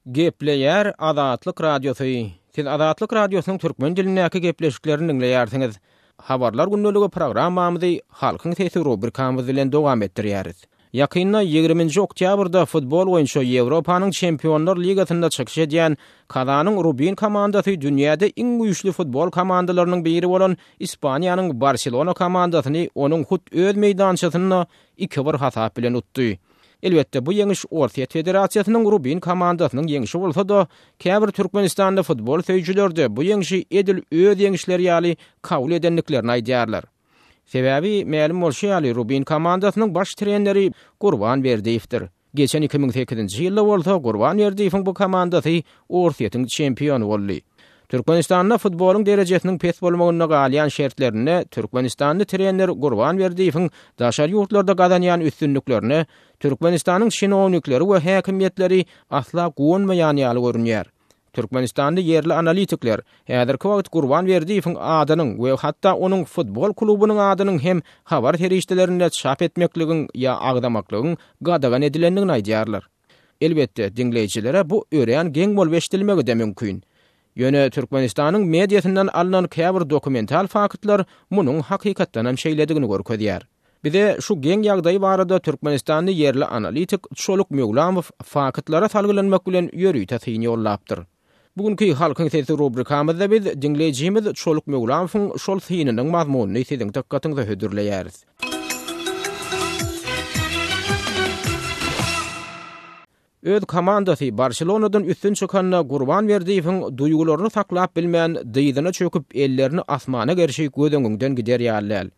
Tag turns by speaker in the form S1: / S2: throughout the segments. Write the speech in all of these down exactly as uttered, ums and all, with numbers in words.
S1: Gepleýär Azatlyk Radiosy. Siz Azatlyk Radiosynyň türkmen dilindäki gepleşiklerini diňleýärsiňiz. Habarlar gündeligi programmamyzy Halkyň sesi rubrikamyz bilen dowam etdirýäris. Ýakynda ýigriminji oktýabrda futbol boýunça Ýewropanyň Çempionlar ligasynda çykyş edýän Kazanyň Rubin komandasy dünýäde iň güýçli futbol komandalarynyň biri bolan Ispaniýanyň Barselona komandasyny onuň hut öz meýdançasynda iki bir hasap bilen utdy. Elbetde bu ýeňiş Orsýet Federasiýasynyň Rubin komandasynyň ýeňşi bolsa-da, käbir Türkmenistanda futbol söýüjiler-de bu ýeňşi edil öz ýeňişleri ýaly kabul edendiklerini aýdýarlar. Sebäbi mälim bolşy ýaly Rubin komandasynyň baş treneri Gurban Berdiýewdir. Geçen iki müň sekizinji ýylda bolsa Gurban Berdiýewiň bu komandasy Orsýetiň çempiony boldy. Türkmenistanda futbolyň derejesiniň pes bolmagynda galýan şertlerinde Türkmenistanly trener Gurban Berdiýewiň daşary ýurtlarda gazanýan üstünliklerine Türkmenistanyň çinownikleri we häkimiýetleri asla guwanmaýan ýaly görünýär. Türkmenistanly ýerli analitikler häzirki wagt Gurban Berdiýewiň adynyň we hatda onuň futbol klubunyň adynyň hem habar serişdelerinde çap etmekligiň ýa agzamaklygyň gadagan edilendigini aýdýarlar. Elbetde, diňleýjilere bu örän geň bolup eşidilmegi-de mümkin. Ýöne Türkmenistanyň mediasyndan alnan käbir dokumental faktlar munuň hakykatdan hem şeýledigini görkezýär. Bize şu geň ýagdaý barada Türkmenistanly ýerli analitik Çoluk Möwlamow faktlara salgylanmak bilen ýörite syn ýollapdyr. Bugünkü Halkyň sesi rubrikamyzda biz diňleýjimiz Çoluk Möwlamowyň şol synynyň mazmunyny siziň dykgatyňyza hödürleýäris. Öz komandasy Barselonadan üstün çykanda Gurban Berdiýewiň duýgularyny saklap bilmän dyzyna çöküp ellerini asmana gerşi göz öňüňden gider ýaly däl.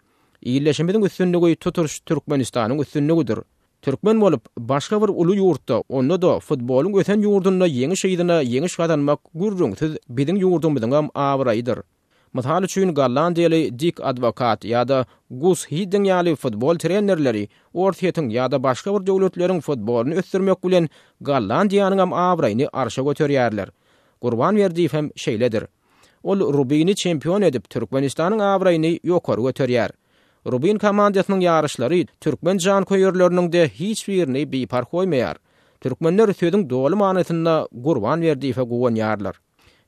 S1: Illeşimiziň üstünligi tutuş Türkmenistanyň üstünligidir. Türkmen bolup başga bir uly ýurtda, onda da futbolyň ösen ýurdunda ýeňiş yzyna ýeňiş gazanmak gürrüňsiz biziň ýurdumyzyň hem abraýydyr. Mysal üçin Gollandiýaly Dik Advokat ýa-da Gus Hiddink ýaly futbol trenerleri Orsýetiň ýa-da başga bir döwletleriň futbolyny ösdürmek bilen Gollandiýanyň hem abraýyny arşa göterýärler. Gurban Berdiýew hem şeýledir. Ol Rubini çempion edip Türkmenistanyň abraýyny ýokary göterýär. Rubin komandasynyň ýaryşlary türkmen janköýerleriniň de hiç birini biparh goýmaýar. Türkmenler sözüň doly manysynda Gurban Berdiýewe guwanýarlar.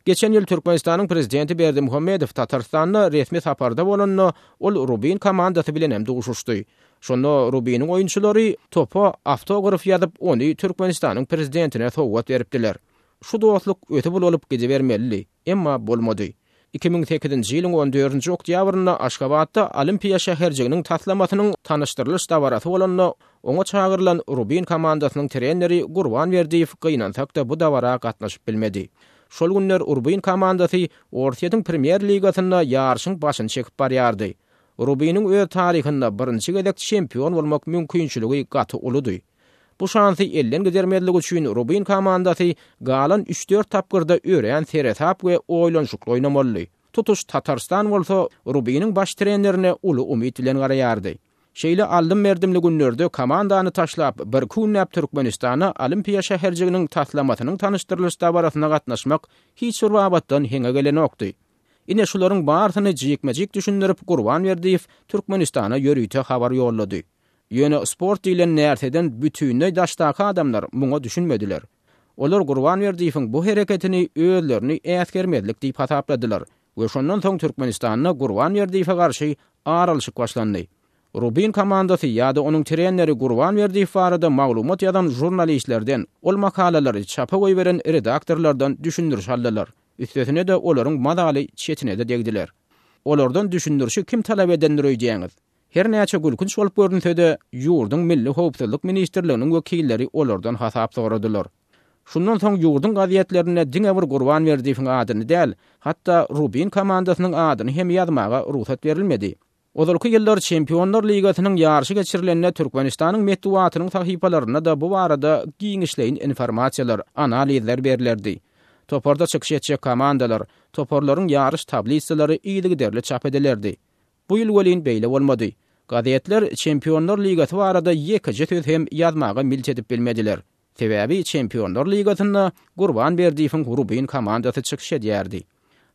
S1: Geçen ýyl Türkmenistanyň prezidenti Berdimuhamedow Tatarstanda resmi saparda bolanda ol Rubin komandasy bilen hem duşuşdy. Şonda Rubiniň oýunçylary topa awtograf ýazyp ony Türkmenistanyň prezidentine sowgat beripdiler. Şu dostluk ötüp bolup gidibermelidi, emma bolmady. iki müň sekizinji ýylyň on dördünji oktýabrynda Aşgabatda Olimpiýa şäherjiginiň taslamasynyň tanyşdyrylyş dabarasy bolanda oňa çagyrylan Rubin komandasynyň treneri Gurban Berdiýew gynansak-da bu dabara gatnaşyp bilmedi. Şol günler Rubin komandasy Orsýetiň Premýer ligasynda ýaryşyň başyny çekip barýardy. Rubiniň öz taryhynda birinji gezek çempion bolmak mümkinçiligi gaty uludy. Bu şansy elden gidermezlik üçin Rubin komandasy galan üç-dört tapgyrda örän seresap we oýlanyşykly oýnamalydy. Tutuş Tatarstan bolsa Rubiniň baş trenerine uly umyt bilen garaýardy. Şeýle aldym-berdimli günlerde komandany taşlap bir günläp Türkmenistana Olimpiýa şäherjiginiň taslamasynyň tanyşdyrylyş dabarasyna gatnaşmak hiç bir babatdan heňe gelenokdy. Ine şularyň barysyny jikme-jik düşündirip Gurban Berdiýew Türkmenistana ýörite habar ýollady. Ýöne sport diýlen närseden bütünleý daşdaky adamlar muňa düşünmediler. Olar Gurban Berdiýewiň bu hereketini özlerini äsgermezlik diýip hasapladylar we şondan soň Türkmenistanda Gurban Berdiýewe garşy aralyşyk başlandy. Rubin komandasy ýa-da onuň treneri Gurban Berdiýew barada maglumat ýazan jurnalistlerden, ol makalalary çapa goýberen redaktorlardan düşündiriş aldylar. Üstesine de olaryň mazaly çetine-de degdiler. Olardan düşündirişi kim talap edendir öýdýäňiz? Her näçe gülkünç bolup görünse-de, ýurduň Milli Howpsuzlyk Ministrliginiň wekilleri olardan hasap soradylar. Şundan soň ýurduň gazetlerinde diňe bir Gurban Berdiýewiň adyny däl, hatda Rubin komandasynyň adyny hem ýazmaga rugsat berilmedi. Ozalky ýyllar Çempionlar Ligasynyň ýaryşy geçirilende Türkmenistanyň metbugatynyň sahypalarynda da bu barada giňişleýin informasiýalar, analizler berilerdi. Toparda çykyş etjek komandalar, toparlaryň ýaryş tablisalary yzygiderli çap edilerdi. Bu ýyl welin beýle bolmady. Gazetler Çempionlar Ligasy barada ýekeje söz hem ýazmaga milt edip bilmediler. Sebäbi Çempionlar Ligasynda Gurban Berdiýewiň Rubin komandasy çykyş edýärdi.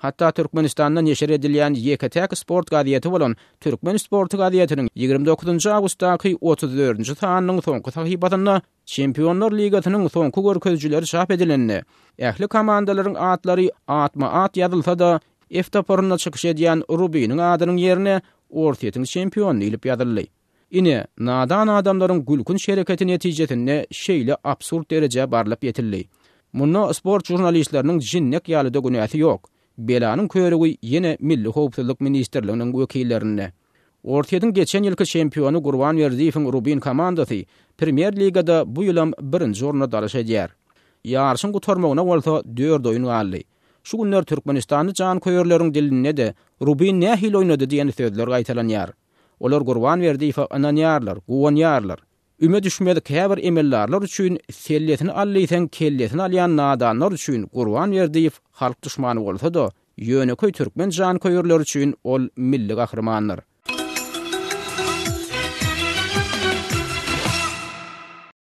S1: Hatda Türkmenistanda neşir edilýän ýeke-täk sport gazeti bolan Türkmen sporty gazetiniň ýigrimi dokuzynjy awgustdaky otuz dördünji sanynyň soňky sahypasynda Çempionlar ligasynyň soňky görkezijileri çap edilende, ähli komandalaryň atlary atma-at ýazylsa-da, F toparynda çykyş edýän Rubiniň adynyň ýerine Orsýetiň çempiony diýlip ýazyldy. Ine, nadan adamlaryň gülkünç hereketi netijesinde şeýle absurd derejä barlyp ýetildi. Munda sport žurnalistleriniň jinnek ýaly-da günäsi ýok. Belanyň körügi ýene Milli howpsuzlyk ministrliginiň wekillerinde. Orsýetiň geçen ýylky çempiony Gurban Berdiýewiň Rubin komandasy Premýer ligada bu ýylam birinji orna dalaş edýär. Ýaryşyň gutarmagyna bolsa dört oýun galdy. Şu günler türkmenistanly janköýerleriň dilinde-de Rubin nähili oýnady diýen sözler gaýtalanýar. Olar Gurban Berdiýewe ynanýarlar, guwanýarlar. Üme düşmez käbir emeldarlar üçin sellesini al diýseň kellesini alýan nadanlar üçin Gurban Berdiýew halk duşmany bolsa-da, ýönekeý türkmen janköýerleri üçin ol milli gahrymandyr.